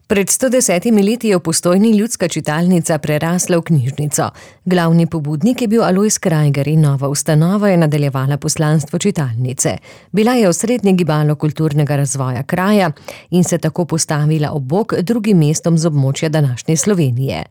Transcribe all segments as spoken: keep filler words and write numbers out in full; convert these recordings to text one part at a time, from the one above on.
Pred sto desetimi leti je v Postojni ljudska čitalnica prerasla v knjižnico. Glavni pobudnik je bil Alojz Krajger in nova ustanova je nadaljevala poslanstvo čitalnice. Bila je osrednje gibalo kulturnega razvoja kraja in se tako postavila ob bok drugim mestom z območja današnje Slovenije.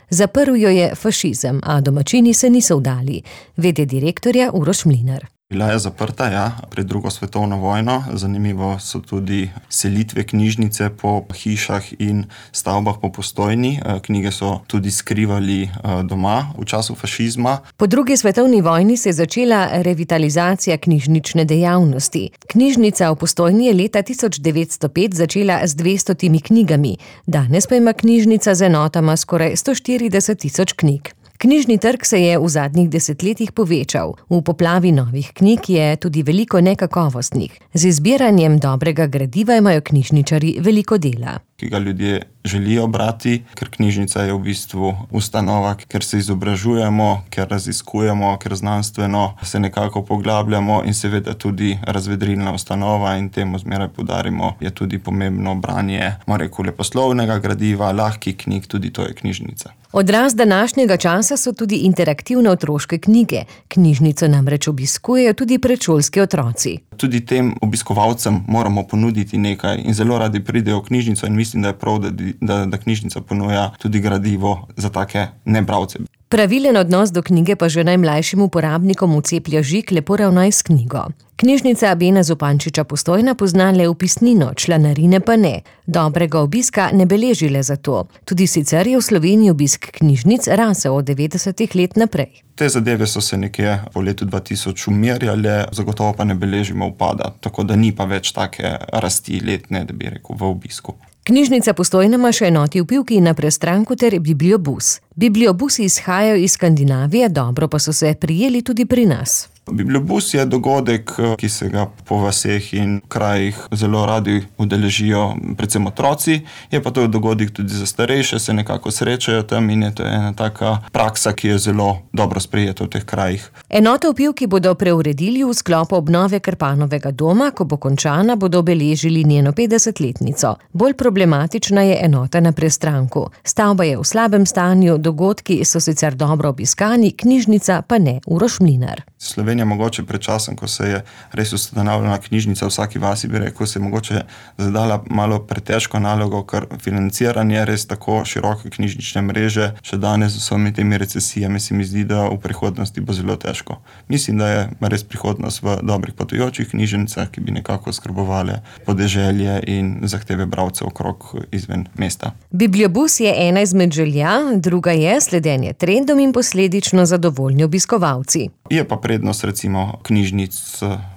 Zaprl jo je fašizem, a domačini se niso vdali, vede direktorja Uroš Mlinar. Bila je zaprta, ja, pred drugo svetovno vojno. Zanimivo so tudi selitve knjižnice po hišah in stavbah po Postojni. Knjige so tudi skrivali doma v času fašizma. Po drugi svetovni vojni se je začela revitalizacija knjižnične dejavnosti. Knjižnica v Postojni je leta tisoč devetsto pet začela z dvestotimi knjigami. Danes pa ima knjižnica z enotama skoraj sto štirideset tisoč knjig. Knjižni trg se je v zadnjih desetletjih povečal. V poplavi novih knjig je tudi veliko nekakovostnih. Z izbiranjem dobrega gradiva imajo knjižničarji veliko dela. Ki ga ljudje želijo brati, ker knjižnica je v bistvu ustanova, ker se izobražujemo, ker raziskujemo, ker znanstveno se nekako poglabljamo in seveda tudi razvedrilna ustanova in temu zmeraj poudarimo, je tudi pomembno branje, moramo reči, leposlovnega gradiva, lahkih knjig, tudi to je knjižnica. Odraz današnjega časa so tudi interaktivne otroške knjige. Knjižnico namreč obiskujejo tudi predšolski otroci. Tudi tem obiskovalcem moramo ponuditi nekaj in zelo radi pridejo v knjižnico in mislim, da je prav, da, da, da knjižnica ponuja tudi gradivo za take nebralce. Pravilen odnos do knjige pa že najmlajšim uporabnikom vceplja žig lepo ravnaj s knjigo. Knjižnica Bena Zupančiča Postojna pozna le vpisnino, članarine pa ne. Dobrega obiska ne beleži le zato. Tudi sicer je v Sloveniji obisk knjižnic rasel od devetdesetih let naprej. Te zadeve so se nekje po letu dva tisoč umirjale, zagotovo pa ne beležimo upada, tako da ni pa več take rasti letne, da bi rekel, v obisku. Knjižnica Postojna ima še enoti v Pivki na Prestranku ter bibliobus. Bibliobusi izhajajo iz Skandinavije, dobro pa so se prijeli tudi pri nas. Bibliobus je dogodek, ki se ga po vaseh in krajih zelo radi udeležijo, predvsem otroci. Je pa to dogodek tudi za starejše, se nekako srečajo tam in je to ena taka praksa, ki je zelo dobro sprejeta v teh krajih. Enoto v Pivki bodo preuredili v sklopu obnove Krpanovega doma, ko bo končana, bodo obeležili njeno petdesetletnico. Bolj problematična je enota na Prestranku. Stavba je v slabem stanju, dogodki so sicer dobro obiskani, knjižnica pa ne. Uroš Mlinar. Slovenija mogoče pred časom, ko se je res ustanavljala knjižnica v vsaki vasi, bi rekel, se je mogoče zadala malo pretežko nalogo, ker financiranje res tako široke knjižnične mreže, še danes z vsemi temi recesijami se mi zdi, da v prihodnosti bo zelo težko. Mislim, da je res prihodnost v dobrih potujočih knjižnicah, ki bi nekako skrbovali podeželje in zahteve bralcev okrog izven mesta. Bibliobus je ena izmed želja, druga je sledenje trendom in posledično zadovoljni obiskovalci. Je pa prednost recimo knjižnic,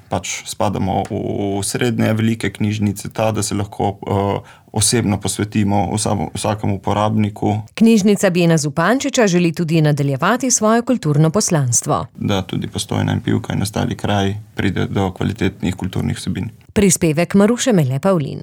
pač spadamo v srednje velike knjižnice, ta, da se lahko uh, osebno posvetimo vsakemu uporabniku. Knjižnica Bena Zupančiča želi tudi nadaljevati svoje kulturno poslanstvo. Da tudi Postojna in Pivka in ostali kraji pride do kvalitetnih kulturnih vsebin. Prispevek Maruše Mele Pavlin.